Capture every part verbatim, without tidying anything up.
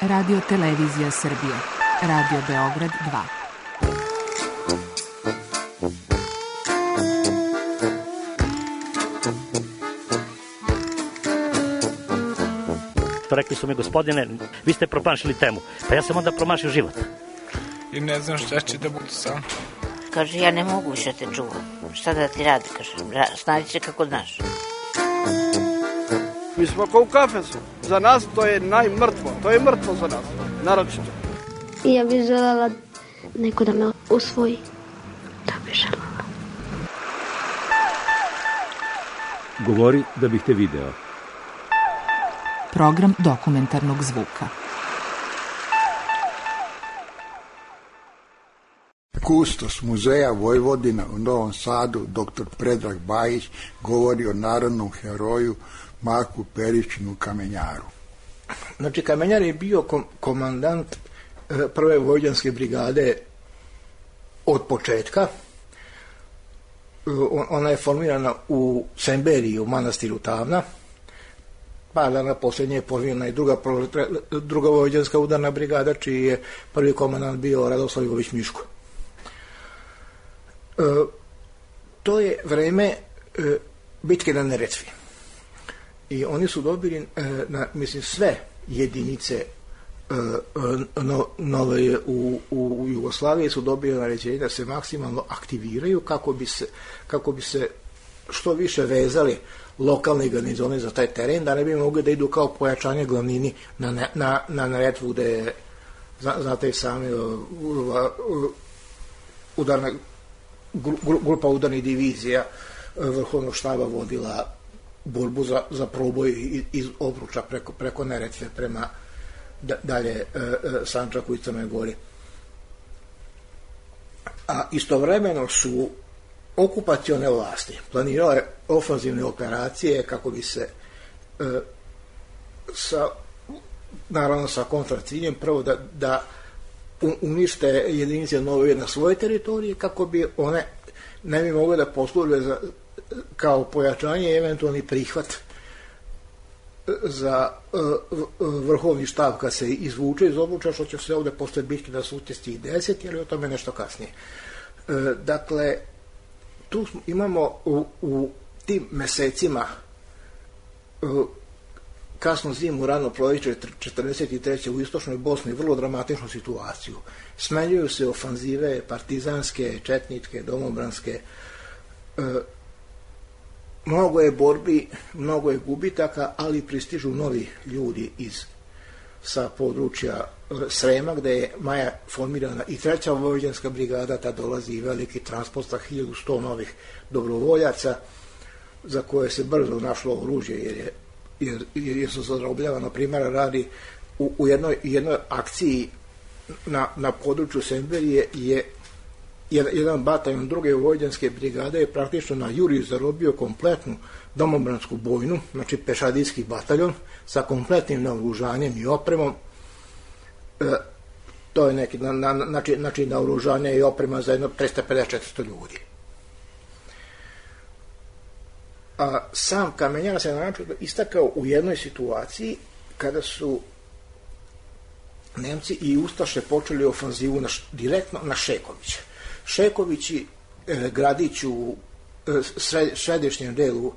Radio Televizija Srbije, Radio Beograd dva. Rekli su mi, gospodine, vi ste promašili temu. Pa ja sam onda promašio život. I ne znam šta će da budu sam. Kaže, ja ne mogu više te čuvam. Šta da ti radi, kaže, snađi se kako znaš. Mi smo kao u kafesu. Za nas to je najmrtvo. To je mrtvo za nas, naročito. I ja bih želela neko da me usvoji. Da bih želela. Govori da bih te video. Program dokumentarnog zvuka. Kustos Muzeja Vojvodina u Novom Sadu, doktor Predrag Bajić, govori o narodnom heroju Marku Peričinu Kamenjaru. Znači, Kamenjar je bio kom- komandant e, prve vojvođanske brigade od početka. E, ona je formirana u Semberiji, u manastiru Tavna. Par dana posljednje je formirana i druga, druga vojvođanska udarna brigada, čiji je prvi komandant bio Radoslav Ivović Miško. E, to je vreme e, bitke na Neretvi. I oni su dobili, e, na, mislim, sve jedinice e, no, nove u, u, u Jugoslaviji su dobili naređenje da se maksimalno aktiviraju kako bi se, kako bi se što više vezali lokalne garnizone za taj teren, da ne bi mogli da idu kao pojačanje glavnini na, na, na Neretvu, gde je, znate i sami, udarna grupa udarnih divizija vrhovnog štaba vodila borbu za, za proboj iz Obruča preko, preko Neretve prema da, dalje e, e, Sandžaku i Crnoj Gori. A istovremeno su okupacione vlasti planirale ofanzivne operacije kako bi se e, sa, naravno sa kontraciljem, prvo da, da unište jedinice nove na svoje teritorije, kako bi one ne bi mogle da posluže za, kao pojačanje i eventualni prihvat za uh, vrhovni štab kad se izvuče iz Obruča, što će se ovde posle bitke da su utjesti i deset, ali o tome nešto kasnije. Uh, dakle, tu imamo u, u tim mesecima uh, kasno zimu, rano proljeće četrdeset treće u istočnoj Bosni vrlo dramatičnu situaciju. Smenjuju se ofanzive partizanske, četničke, domobranske. E, mnogo je borbi, mnogo je gubitaka, ali pristižu novi ljudi iz sa područja Srema, gde je maja formirana i treća vojvođanska brigada, ta dolazi i veliki transport sa hiljadu sto novih dobrovoljaca, za koje se brzo našlo oružje, jer je jer, jer su zarobljavano, primjera radi u, u jednoj, jednoj akciji na, na području Semberije je jedan bataljon druge vojvođanske brigade je praktično na juri zarobio kompletnu domobransku bojnu, znači pešadijski bataljon sa kompletnim naoružanjem i opremom. E, to je neki na, na, znači, znači naoružanje i oprema za jedno trista pedeset do četiristo ljudi. A sam Kamenjar se način istakao u jednoj situaciji kada su Nemci i Ustaše počeli ofanzivu na, direktno na Šekovića. Šekovići, e, gradić u e, sred, središnjem delu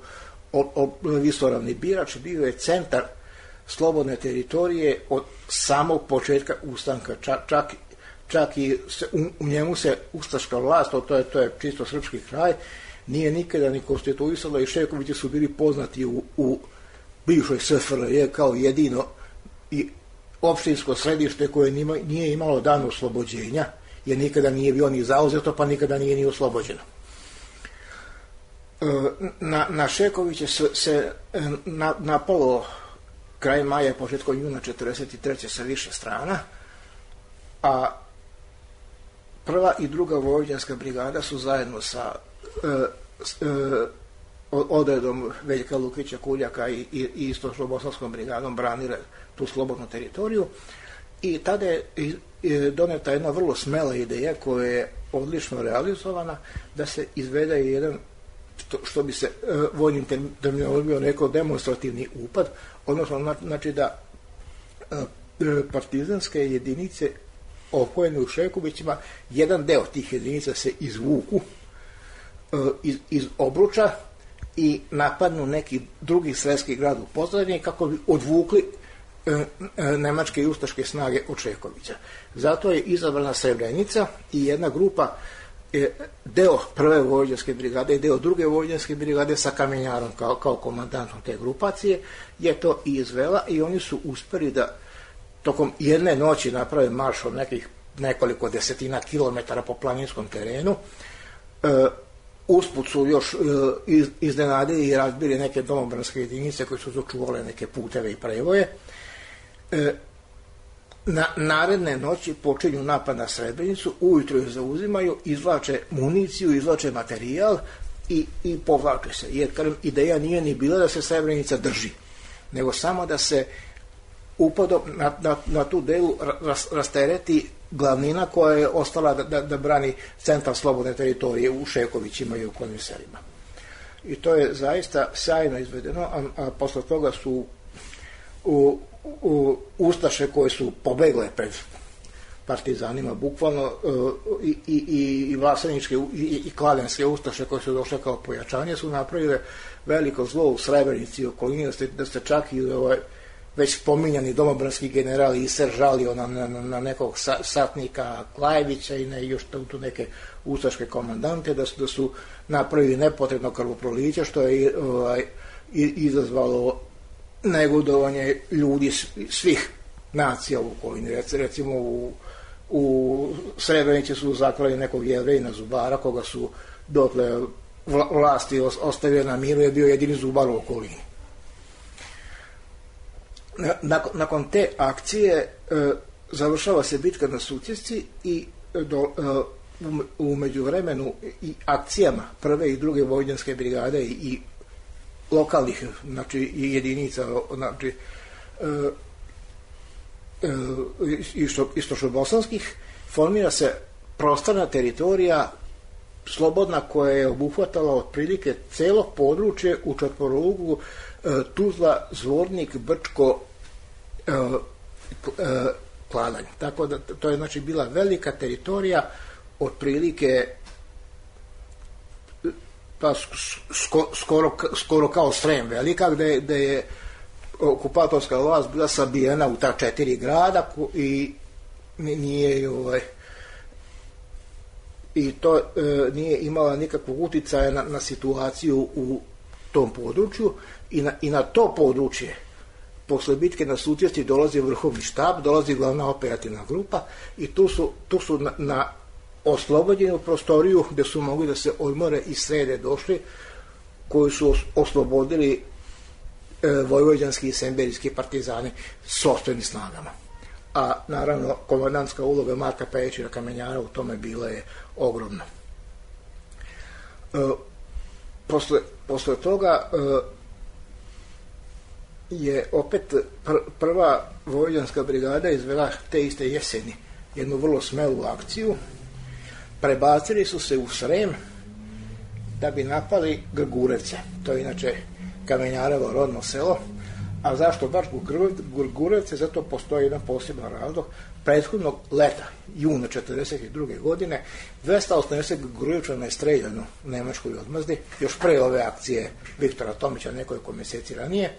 Visoravni Birač, bio je centar slobodne teritorije od samog početka ustanka. Čak, čak, čak i se, u, u njemu se ustaška vlast, to je, to je čisto srpski kraj, nije nikada ni konstituisala i Šekovići su bili poznati u, u bivšoj S F R J kao jedino i opštinsko središte koje nima, nije imalo dan oslobođenja, jer nikada nije bio ni zauzeto, pa nikada nije ni oslobođeno. Na, na Šekoviće se, se na, napalo kraj maja, početkom juna četrdeset treće sa više strana, a prva i druga vojvođanska brigada su zajedno sa e, e, odredom Veljka Lukića Kuljaka i, i, i istočno-bosanskom brigadom branile tu slobodnu teritoriju i tada je doneta jedna vrlo smela ideja koja je odlično realizovana da se izvede jedan, što, što bi se e, vojnim terminologijom rekao, demonstrativni upad, odnosno znači da e, partizanske jedinice opojene u Šekovićima, jedan deo tih jedinica se izvuku iz, iz Obruča i napadnu neki drugi sredski grad u pozadini kako bi odvukli nemačke i ustaške snage od Šekovića. Zato je izabrana Srebrenica i jedna grupa, deo prve vojvođanske brigade i deo druge vojvođanske brigade sa Kamenjarom kao, kao komandantom te grupacije je to i izvela i oni su uspeli da tokom jedne noći naprave marš od nekih nekoliko desetina kilometara po planinskom terenu. E, usput su još e, iz, iznenadili i razbili neke domobranske jedinice koje su začuvale neke puteve i prevoje. E, na naredne noći počinju napad na Srebrenicu, ujutro je zauzimaju, izvlače municiju, izvlače materijal i, i povlače se. Jer kažem, ideja nije ni bila da se Srebrenica drži, nego samo da se upadom na, na, na tu delu ras, rastereti glavnina koja je ostala da, da, da brani centar slobodne teritorije u Šekovićima i u okolnim selima. I to je zaista sjajno izvedeno, a, a posle toga su u, u ustaše koje su pobegle pred partizanima, bukvalno i, i, i vlaseničke i, i kladenske ustaše koje su došle kao pojačanje su napravile veliko zlo u Srebrenici i okolini, da ste, da ste čak i ovaj, već spominjani domobranski general Iser žalio na, na, na nekog sa, satnika Klajevića i ne, još tu neke ustaške komandante, da su, da su napravili nepotrebno krvoproliće, što je ovaj, izazvalo negodovanje ljudi svih nacija u okolini. Recimo u, u Srebrenici su zaklali nekog Jevrejina zubara, koga su dotle vlasti ostavili na miru, je bio jedini zubar u okolini. Nakon, nakon te akcije e, završava se bitka na Sutjesci i do, e, u, u međuvremenu i akcijama prve i druge vojvođanske brigade i, i lokalnih, znači jedinica, znači e, e, isto, istočnobosanskih, formira se prostorna teritorija slobodna koja je obuhvatala otprilike celo područje u četvorouglu e, Tuzla, Zvornik, Brčko, e, e, Kladanj. Tako da to je znači bila velika teritorija otprilike pa sko, skoro, skoro kao Srem velika, gde, gde je okupatorska vlast bila sabijena u ta četiri grada i nije ovaj i to e, nije imala nikakvog uticaja na, na situaciju u tom području i na, i na to područje posle bitke na Sutjesci dolazi vrhovni štab, dolazi glavna operativna grupa i tu su, tu su na, na oslobođenu prostoriju gde su mogli da se odmore i srede došli, koji su os, oslobodili e, vojvođanski i semberijski partizani sopstvenim snagama. A naravno komandantska uloga Marka Pejića Kamenjara u tome bila je ogromna. E, posle, posle toga e, je opet pr, prva vojvođanska brigada izvela te iste jeseni jednu vrlo smelu akciju. Prebacili su se u Srem da bi napali Grgurevce. To je inače Kamenjarevo rodno selo. A zašto baš Grgurevce? Zato postoji jedan poseban razlog. Prethodnog leta, juna četrdeset druge godine, dvesta osamdeset Grgurevčana je streljano u nemačkoj odmazdi, još pre ove akcije Viktora Tomića nekoliko mjeseci ranije.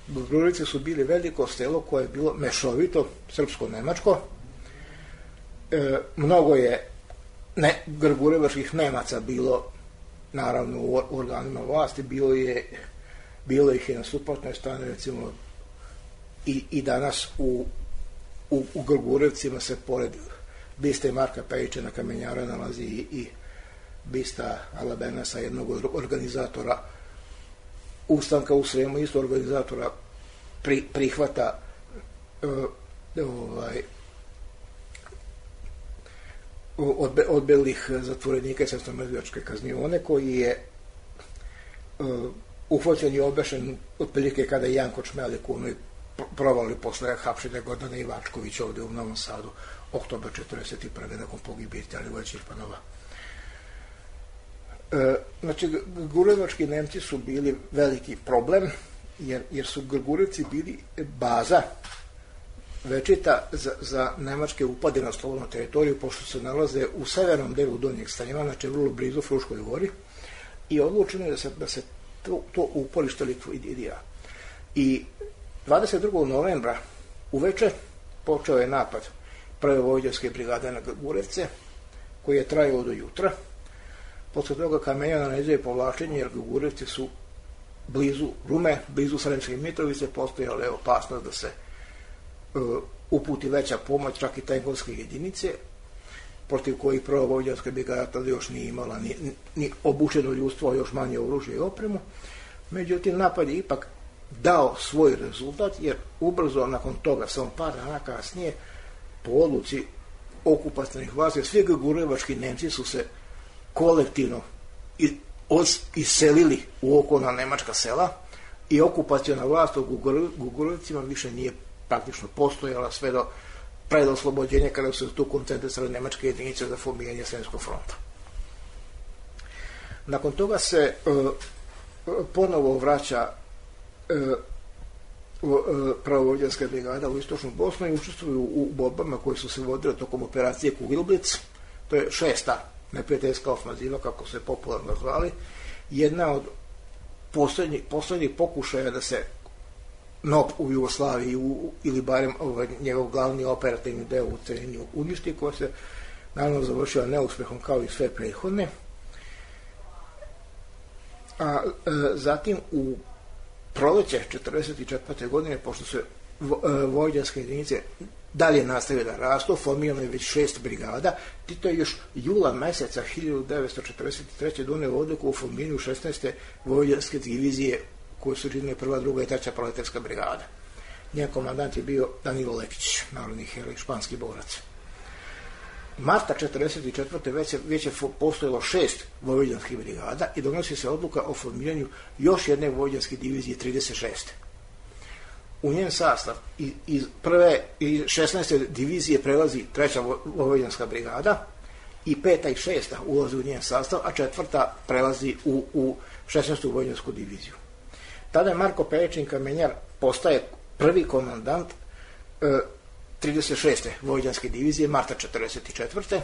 Grgurevci su bili veliko selo koje je bilo mešovito, srpsko-nemačko. E, mnogo je ne, grgurevačkih Nemaca bilo naravno u organima vlasti, bilo je bilo ih je na suprotnoj strani, recimo i, i danas u, u, u Grgurevcima se pored biste Marka Pejića na Kamenjara nalazi i, i bista Alabenasa, jednog od organizatora ustanka u Sremu, isto organizatora pri, prihvata uh, ovaj Odbe, odbelih zatvorenika i srpsko-mrtvačke kaznione, koji je uh, uhvaćen i obešen otprilike kada je Janko Čmelik u onoj provali posle hapšenja Gordana Ivačkovića ovde u Novom Sadu, oktobar četrdeset prve nakon pogibije Italije Čirpanova. E, znači, grgurevački Nemci su bili veliki problem, jer, jer su Grgurevci bili baza večita za, za nemačke upade na slobodnu teritoriju, pošto se nalaze u severnom delu Donjeg Stanjeva, znači vrlo blizu Fruškoj gori, i odlučeno je da se, da se to, to uporište likvidira. I dvadeset drugog novembra uveče počeo je napad prve vojvođanske brigade na Gurevce, koji je trajao do jutra. Posle toga Kamenjar naređuje povlačenje, jer Gurevci su blizu Rume, blizu Sremske Mitrovice, postojala je opasnost da se uh, uputi veća pomoć, čak i tenkovske jedinice, protiv kojih prva vojvođanska brigada tada još nije imala ni, ni obučeno ljudstvo, a još manje oružje i opremu. Međutim, napad je ipak dao svoj rezultat, jer ubrzo nakon toga, samo par dana kasnije, po odluci okupacionih vlasti, svi gugurevački Nemci su se kolektivno iselili u okolna nemačka sela i okupaciona vlast u Gugurevcima više nije praktično postojala sve do pred oslobođenja, kada su se tu koncentrisale nemačke jedinice za formiranje Sremskog fronta. Nakon toga se uh, ponovo vraća uh, pravovojvođanska brigada u istočnu Bosnu i učestvuju u borbama koje su se vodile tokom operacije Kugelblitz. To je šesta neprijateljska ofanziva, kako se popularno zvali, jedna od posljednjih, posljednjih pokušaja da se N O P u Jugoslaviji u, ili barem ovaj, njegov glavni operativni deo u Celinju uništi, koja se naravno završila neuspehom kao i sve prethodne. A e, zatim u proleće četrdeset četvrte godine, pošto se vojvođanske jedinice dalje nastavile da rastu, formirano je već šest brigada. Tito je još jula meseca hiljadu devetsto četrdeset treće doneo odluku o formiranju šesnaeste vojvođanske divizije, koje su činile prva, druga i treća proletarska brigada. Njen komandant je bio Danilo Lekić, narodni heroj, španski borac. Marta četrdeset četvrte već je, već je postojalo šest vojvođanskih brigada i donosi se odluka o formiranju još jedne vojvođanske divizije trideset šeste. U njen sastav iz prve i šesnaeste divizije prelazi treća vojvođanska brigada i peta i šesta ulazi u njen sastav, a četvrta prelazi u, u šesnaestu vojvođansku diviziju. Tada je Marko Perečin Kamenjar postaje prvi komandant e, trideset šeste vojvođanske divizije, marta četrdeset četvrte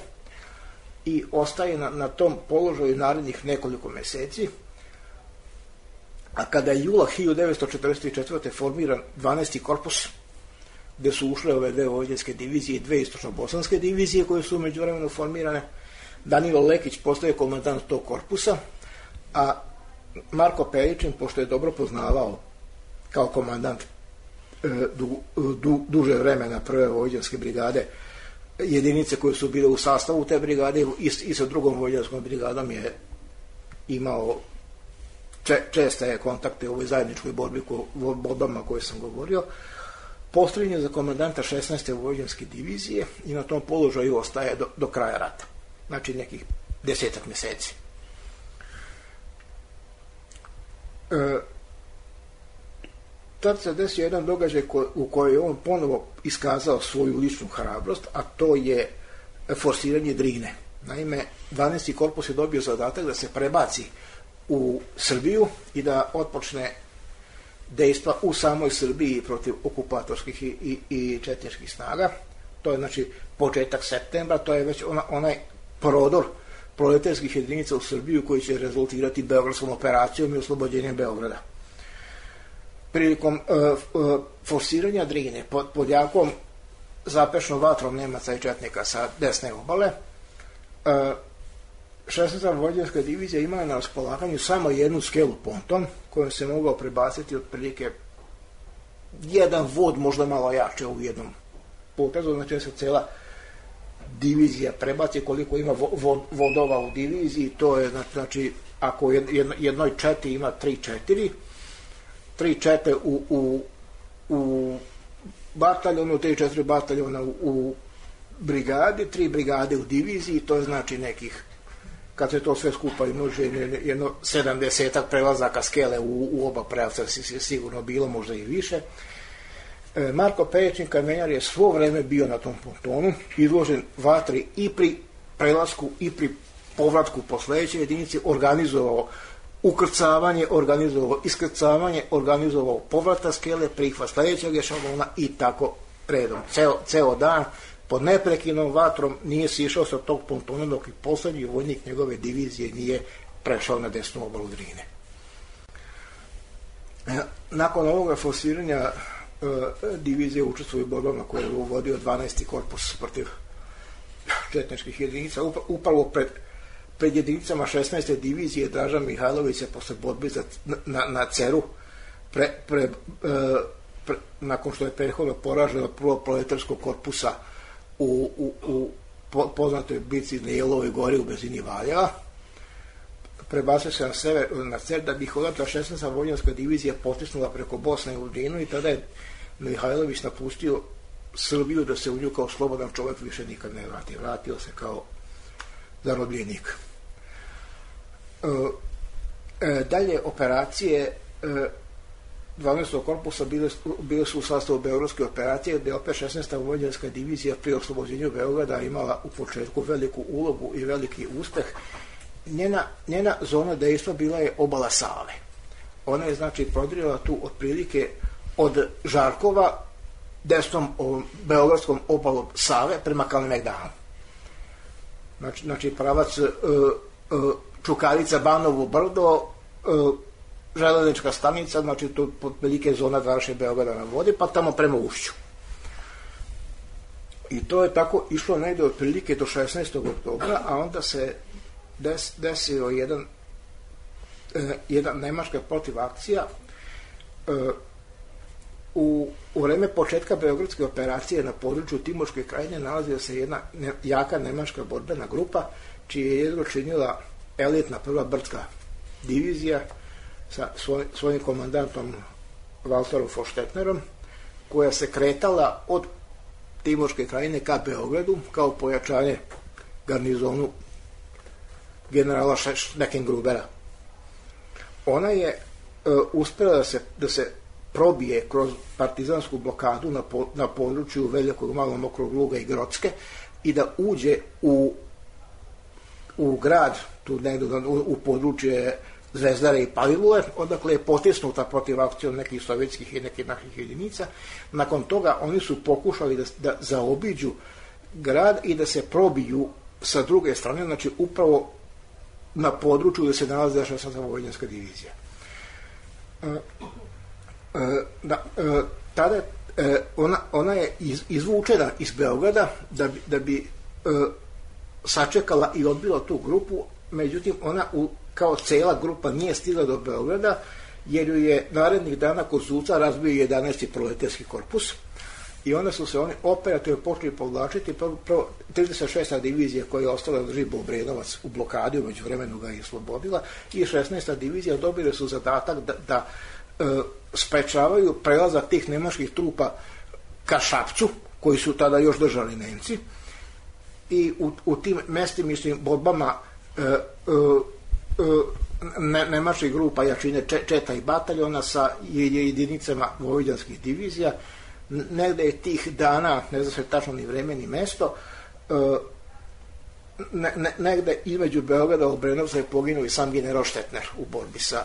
i ostaje na, na tom položaju narednih nekoliko meseci, a kada je jula hiljadu devetsto četrdeset četvrte formiran dvanaesti korpus, gde su ušle ove dve vojvođanske divizije i dve istočno-bosanske divizije koje su međuvremeno formirane, Danilo Lekić postaje komandant tog korpusa, a Marko Peričin, pošto je dobro poznavao kao komandant Du, du, duže vremena prve vojvođanske brigade jedinice koje su bile u sastavu te brigade i, i sa drugom vojvođanskom brigadom je imao če, česte kontakte u ovoj zajedničkoj borbi ko, borbama koje sam govorio. Postavljen je za komandanta šesnaeste vojvođanske divizije i na tom položaju ostaje do, do kraja rata, znači nekih desetak meseci. E, tad se desio jedan događaj ko, u kojoj je on ponovo iskazao svoju ličnu hrabrost, a to je forsiranje Drine. Naime, dvanaesti korpus je dobio zadatak da se prebaci u Srbiju i da otpočne dejstva u samoj Srbiji protiv okupatorskih i, i, i četničkih snaga. To je znači početak septembra, to je već ona, onaj prodor proletarskih jedinica u Srbiju koji će rezultirati beogradskom operacijom i oslobođenjem Beograda. Prilikom uh, uh, forsiranja Drine pod, pod jakom zapešnom vatrom Nemaca i četnika sa desne obale, uh, šesnaesta vojvođanska divizija imala na raspolaganju samo jednu skelu ponton kojom se mogao prebaciti otprilike jedan vod, možda malo jače u jednom potezu, znači da se cela divizija prebaci koliko ima vo, vo, vodova u diviziji, to je znači ako jedno, jednoj četi ima tri četiri, tri čete u, u, u bataljonu, tri četiri bataljona u, u brigadi, tri brigade u diviziji, to je znači nekih, kad se to sve skupa i može jedno sedamdesetak prelazaka skele u, u oba pravca je sigurno bilo, možda i više. E, Marko Peričin Kamenjar je svo vreme bio na tom pontonu, izložen vatri i pri prelasku i pri povratku po sledećoj jedinici, organizovao ukrcavanje, organizovao iskrcavanje, organizovao povrata skele, prihvat sledećeg ešalona i tako redom, ceo, ceo dan, pod neprekinom vatrom nije sišao sa tog pontona dok i poslednji vojnik njegove divizije nije prešao na desnu obalu Drine. Nakon ovoga forsiranja divizije učestvuje u borbama koje je uvodio dvanaesti korpus protiv četničkih jedinica. Upravo pred, pred jedinicama šesnaeste divizije Draža Mihajlović se posle borbe za, na, na Ceru pre, pre, pre, nakon što je prethodno poraženo prvo proletarskog korpusa u, u, u poznatoj bici na Jelovoj gori u blizini Valjeva, prebacio se na sever, na Cer, da bi ih odatle šesnaesta vojnička divizija potisnula preko Bosne u Drinu i tada je Mihajlović napustio Srbiju da se u nju kao slobodan čovjek više nikad ne vrati. Vratio se kao zarobljenik. E, e, dalje operacije e, dvanaestog korpusa bile, bile su u sastavu Beogradske operacije, gde opet šesnaesta vojnička divizija pri oslobođenju Beograda imala u početku veliku ulogu i veliki uspeh. Njena, njena zona dejstva bila je obala Save. Ona je znači prodirala tu otprilike od Žarkova desnom ovom, beogradskom obalom Save prema Kalemegdanu. Znači, znači pravac uh, uh, Čukarica, Banovo brdo, uh, železnička stanica, znači tu otprilike zona današnje Beograda na vodi, pa tamo prema Ušću. I to je tako išlo negde otprilike do šesnaestog oktobra, a onda se des, desio jedan, uh, jedan nemačka protivakcija. Uh, U, u vreme početka Beogradske operacije na području Timoške krajine nalazila se jedna ne, jaka nemačka borbena grupa, čiji je jedno činila elitna prva brdska divizija sa svoj, svojim komandantom Walterom von Stetnerom, koja se kretala od Timoške krajine ka Beogradu kao pojačanje garnizonu generala Schneckengrubera. Ona je uh, uspela da se, da se probije kroz partizansku blokadu na, po, na području Velikog, Malog, Mokrog Luga i Grocke i da uđe u, u grad, tu negdje u, u područje Zvezdare i Palilule, odakle je potisnuta protiv akcijom nekih sovjetskih i nekih naših jedinica. Nakon toga oni su pokušali da, da zaobiđu grad i da se probiju sa druge strane, znači upravo na području gde se nalazi šesnaesta vojnička divizija. Da, tada ona, ona je iz, izvučena iz Beograda da bi, da bi sačekala i odbila tu grupu, međutim ona u, kao cela grupa nije stigla do Beograda jer ju je narednih dana kod Zuca razbio jedanaesti proletarski korpus i onda su se oni operativno počeli povlačiti. Prvo, prvo trideset šesta divizija koja je ostala drži Obrenovac u blokadi, umeđu vremenu ga je oslobodila, i šesnaesta divizija dobile su zadatak da, da e, sprečavaju prelazak tih nemačkih trupa ka Šapcu, koji su tada još držali Nemci, i u, u tim mestimičnim borbama e, e, ne, nemačkih grupa jačine Četa i Bataljona sa jedinicama vojvođanskih divizija. Negde je tih dana, ne zna se tačno ni vreme ni mesto, ne, ne, negde između Beograda i Obrenovca je poginuo i sam general Štetner u borbi sa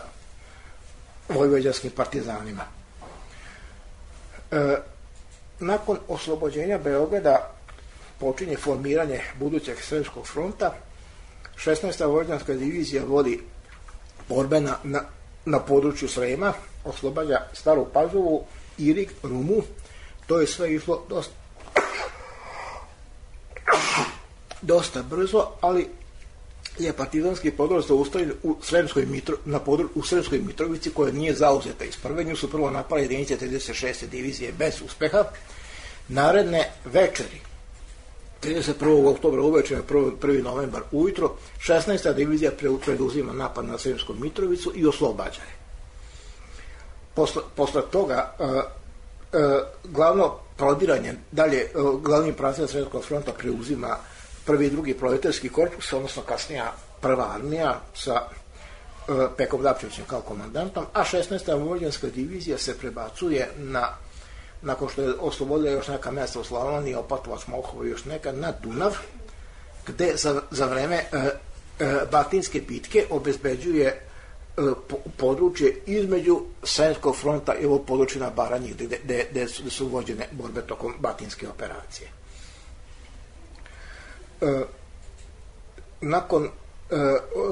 vojvođanskim partizanima. E, nakon oslobođenja Beograda počinje formiranje budućeg Sremskog fronta. šesnaesta vojvođanska divizija vodi borbe na, na, na području Srema, oslobađa Staru Pazovu, Irig, Rumu. To je sve išlo dosta, dosta brzo, ali je partizanski podor zaustavljen u Sremskoj Mitro, na podru, u Sremskoj Mitrovici, koja nije zauzeta iz prve. Nju su prvo napale jedinice trideset šeste divizije bez uspeha. Naredne večeri, trideset prvog oktobra uveče, prvi novembar ujutro, šesnaesta divizija preduzima napad na Sremsku Mitrovicu i oslobađa je. Posle, posle toga uh, uh, glavno prodiranje, dalje uh, glavni pravca Sremskog fronta preuzima prvi i drugi proletarski korpus, odnosno kasnija prva armija sa uh, Pekom Dapčevićem kao komandantom, a šesnaesta vojvođanska divizija se prebacuje na, nakon što je oslobodila još neka mesta u Slavoniji, Opatovac, Molhovo i još neka, na Dunav, gde za, za vreme uh, uh, Batinske bitke obezbeđuje područje između Sremskog fronta i ovo područje na Baranji gde, gde, gde su, su vođene borbe tokom Batinske operacije. E, nakon e,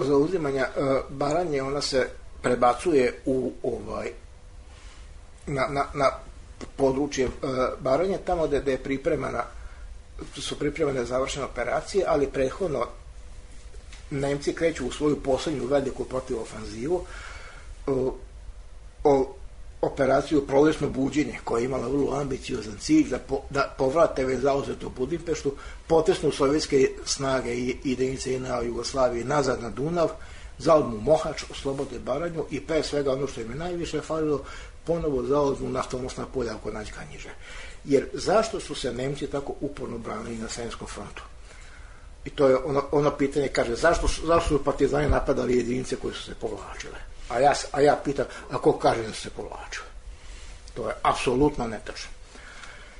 zauzimanja e, Baranje ona se prebacuje u ovaj na, na, na područje e, Baranje, tamo gde, gde je pripremana su pripremane završene operacije, ali prethodno Nemci kreću u svoju posljednju veliku protivofanzivu, o, o operaciju Prolećno buđenje, koja je imala vrlo ambiciozan cilj da, po, da povrate već zauzetu Budimpeštu, potesnu sovjetske snage i jedinice J N A Jugoslavije nazad na Dunav, zauzmu Mohač, oslobode Baranju i pre svega ono što im je najviše falilo, ponovo zauzmu naftonosna polja oko Nađkanjiže. Jer zašto su se Nemci tako uporno branili na Sremskom frontu? I to je ono, ono pitanje, kaže, zašto, zašto su partizani napadali jedinice koje su se povlačile? A ja, a ja pitam, a ko kaže da su se povlačile? To je apsolutno netačno.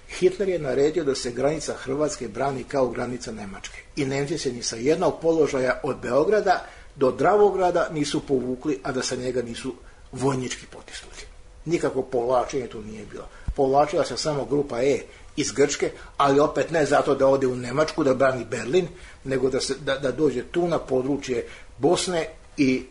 Hitler je naredio da se granica Hrvatske brani kao granica Nemačke. I Nemci se ni sa jednog položaja od Beograda do Dravograda nisu povukli, a da sa njega nisu vojnički potisnuli. Nikako povlačenje tu nije bilo. Povlačila se samo grupa E iz Grčke, ali opet ne zato da ode u Nemačku da brani Berlin, nego da, se, da, da dođe tu na područje Bosne i,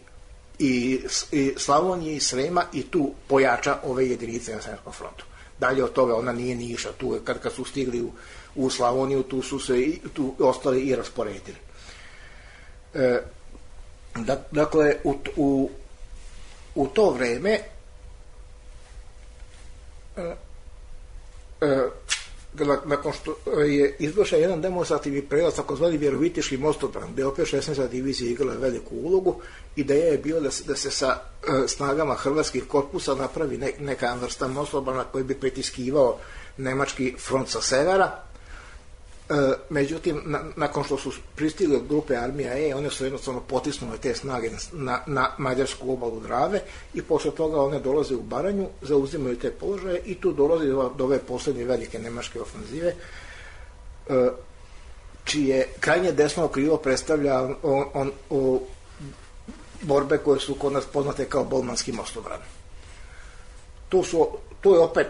i, i Slavonije i Srema i tu pojača ove jedinice na Sremskom frontu. Dalje od toga ona nije ni išla. Tu, kad, kad su stigli u, u Slavoniju, tu su se i, tu ostali i rasporedili. E, da, dakle, u, u, u to vreme e, e, nakon što je izvršen jedan demonstrativni prelaz, takozvani Vjerovitiški mostobran, gde opet šesnaesta divizija igrala veliku ulogu, ideja je bila da se, da se sa e, snagama hrvatskih korpusa napravi ne, neka vrsta mostobrana koji bi pritiskivao nemački front sa severa. E, međutim, na, nakon što su pristigle grupe armija E, one su jednostavno potisnule te snage na, na mađarsku obalu Drave i posle toga one dolaze u Baranju, zauzimaju te položaje i tu dolazi do, do ove poslednje velike nemačke ofanzive, e, čije krajnje desno krilo predstavlja on, on, on, borbe koje su kod nas poznate kao Bolmanski mostobran. Tu su Tu je opet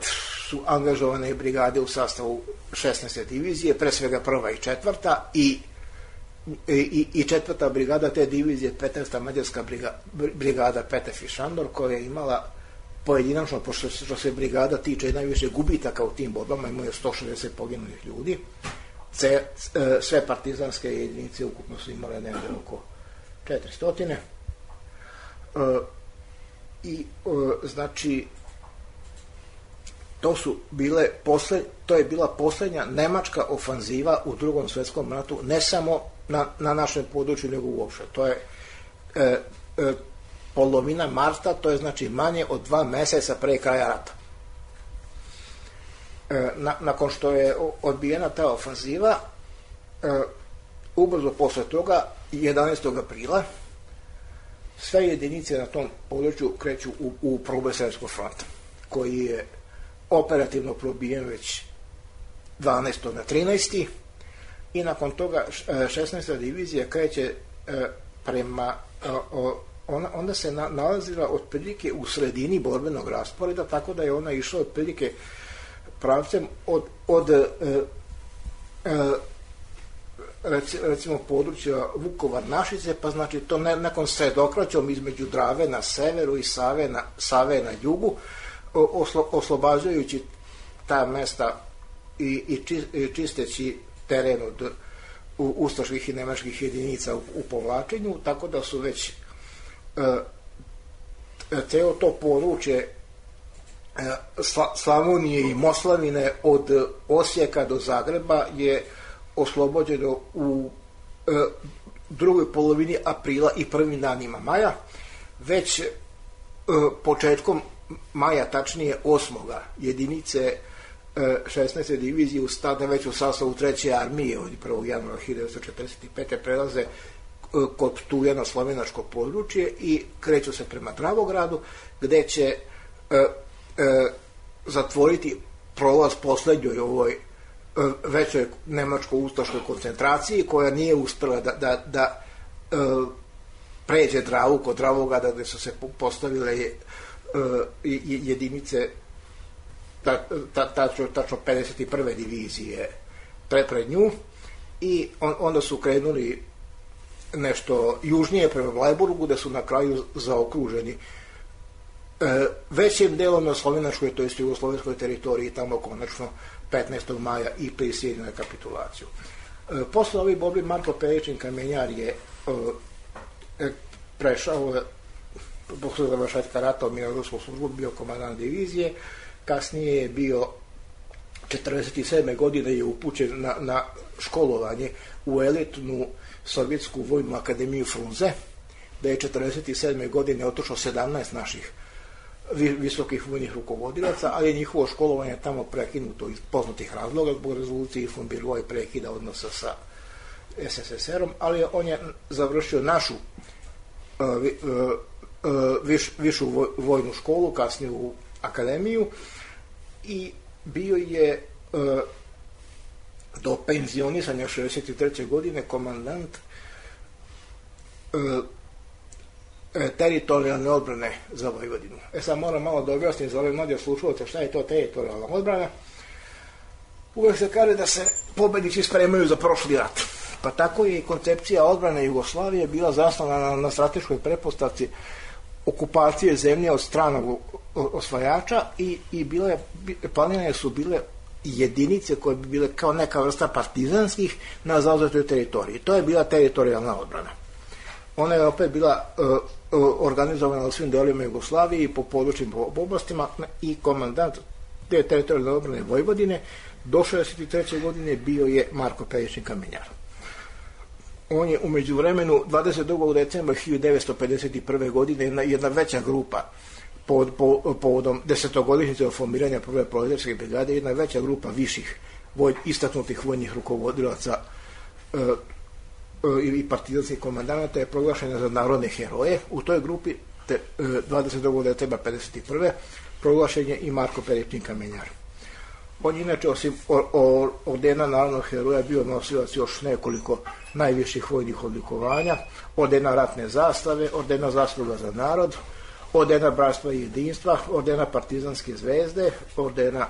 su angažovane brigade u sastavu šesnaeste divizije, pre svega prva i četvrta i, i, i četvrta brigada te divizije, petnaesta mađarska brigada, brigada Petef i Šandor, koja je imala pojedinačno, pošto što se brigada tiče najviše gubitaka u tim borbama, imaju sto šezdeset poginulih ljudi, Ce, sve partizanske jedinice ukupno su imale negde oko četiristo. E, I e, znači To su bile posle, to je bila posljednja nemačka ofanziva u Drugom svjetskom ratu, ne samo na, na našem području, nego uopšte. To je e, e, polovina marta, to je znači manje od dva meseca pre kraja rata. E, na, nakon što je odbijena ta ofanziva, e, ubrzo posle toga, jedanaestog aprila, sve jedinice na tom području kreću u, u proboj Sremskog fronta, koji je operativno probijen već dvanaestog na trinaesti i nakon toga šesnaesta divizija kreće prema, ona, onda se na, nalazila otprilike u sredini borbenog rasporeda, tako da je ona išla otprilike pravcem od, od e, e, recimo područja Vukovar-Našice, pa znači to ne, nakon sredokraćom između Drave na severu i Save na, Save na jugu, Oslo, oslobađajući ta mesta i, i, či, i čisteći teren od u, ustaških i nemačkih jedinica u, u povlačenju, tako da su već e, ceo to područje e, Sla, Slavonije i Moslavine od Osijeka do Zagreba je oslobođeno u e, drugoj polovini aprila i prvim danima maja. Već e, početkom maja, tačnije osmoga jedinice šesnaeste divizije u stane već u sastavu treće armije od prvog januara hiljadu devetsto četrdeset pete prelaze kod Ptuja na slovenačko područje i kreću se prema Dravogradu, gde će e, e, zatvoriti prolaz poslednjoj ovoj e, većoj nemačko-ustaškoj koncentraciji, koja nije uspela da, da, da e, pređe Dravu kod Dravograda gde su se postavile jedinice tačno pedeset prve divizije pred nju i onda su krenuli nešto južnije prema Vlajburgu gde su na kraju zaokruženi većim delom na slovenačkoj, to jest jugoslovenskoj teritoriji, tamo konačno petnaestog maja i prisiljeno na kapitulaciju. Posle ovih borbi Marko Peričin Kamenjar je prešao posle završetka rata u mirnodopsku službu, bio komandant divizije, kasnije je bio četrdeset sedme godine je upućen na, na školovanje u elitnu sovjetsku vojnu akademiju Frunze, da je četrdeset sedme godine otišlo sedamnaest naših visokih vojnih rukovodilaca, ali je njihovo školovanje tamo prekinuto iz poznatih razloga, zbog rezolucije von Birova i prekida odnosa sa S S S R-om, ali on je završio našu uh, uh, viš, višu vojnu školu, kasnije u akademiju, i bio je uh, do penzionisanja šezdeset treće godine komandant uh, teritorijalne odbrane za Vojvodinu. E sad moram malo da objasnim za ove mlađe slušalce šta je to teritorijalna odbrana. Uvek se kaže da se pobednici spremaju za prošli rat. Pa tako je i koncepcija odbrane Jugoslavije bila zasnovana na, na strateškoj pretpostavci okupacije zemlje od stranog osvajača i, i bile, planirane su bile jedinice koje bi bile kao neka vrsta partizanskih na zauzetoj teritoriji. To je bila teritorijalna odbrana. Ona je opet bila uh, organizovana u svim delovima Jugoslavije i po područnim oblastima i komandant te teritorijalne odbrane Vojvodine do šezdeset treće godine bio je Marko Peričin Kamenjar. On je umeđu vremenu dvadeset drugog decembra hiljadu devetsto pedeset prve godine jedna, jedna veća grupa pod, po, povodom desetogodišnjice od formiranja prve proletarske brigade, jedna veća grupa viših voj, istaknutih vojnih rukovodilaca uh, i partizanskih komandanata je proglašena za narodne heroje. U toj grupi te, dvadeset drugog decembra pedeset prve proglašen je i Marko Peričin Kamenjar. On inače osim ordena narodnog heroja bio nosilac još nekoliko najviših vojnih odlikovanja, ordena ratne zastave, ordena zasluga za narod, ordena bratstva i jedinstva, ordena partizanske zvezde, ordena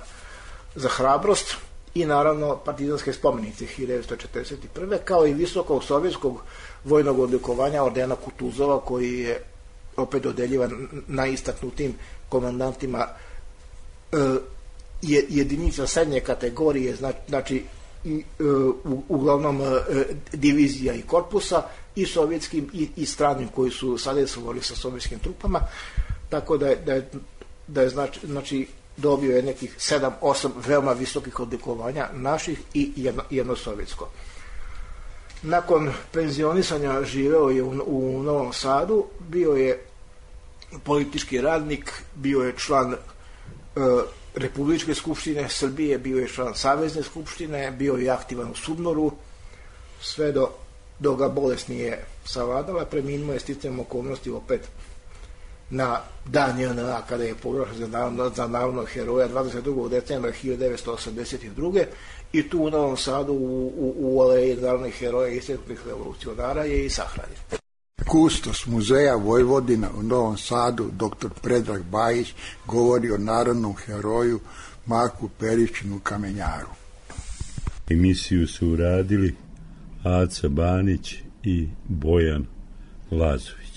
za hrabrost i naravno partizanske spomenice hiljadu devetsto četrdeset prve kao i visokog sovjetskog vojnog odlikovanja ordena Kutuzova, koji je opet dodeljivan najistaknutim komandantima e, jedinica srednje kategorije, znači i, e, u, uglavnom e, divizija i korpusa, i sovjetskim i, i stranim koji su sadesovali sa sovjetskim trupama, tako da je, da je, da je znači, znači dobio je nekih sedam osam veoma visokih odlikovanja naših i jedno, jedno sovjetsko. Nakon penzionisanja živeo je u, u Novom Sadu, bio je politički radnik, bio je član e, Republičke skupštine Srbije, bio je član Savezne skupštine, bio je aktivan u Sudnoru, sve do, do ga bolest nije savladala, preminuo je sticajem okolnosti opet na dan J N A kada je proglašen za, narodno, za narodnog heroja dvadeset drugog decembra hiljadu devetsto osamdeset druge i tu u Novom Sadu u, u, u aleji narodnih heroja i istaknutih revolucionara je i sahranjen. Kustos Muzeja Vojvodina u Novom Sadu, doktor Predrag Bajić, govori o narodnom heroju Marku Peričinu Kamenjaru. Emisiju su uradili Aca Banić i Bojan Lazović.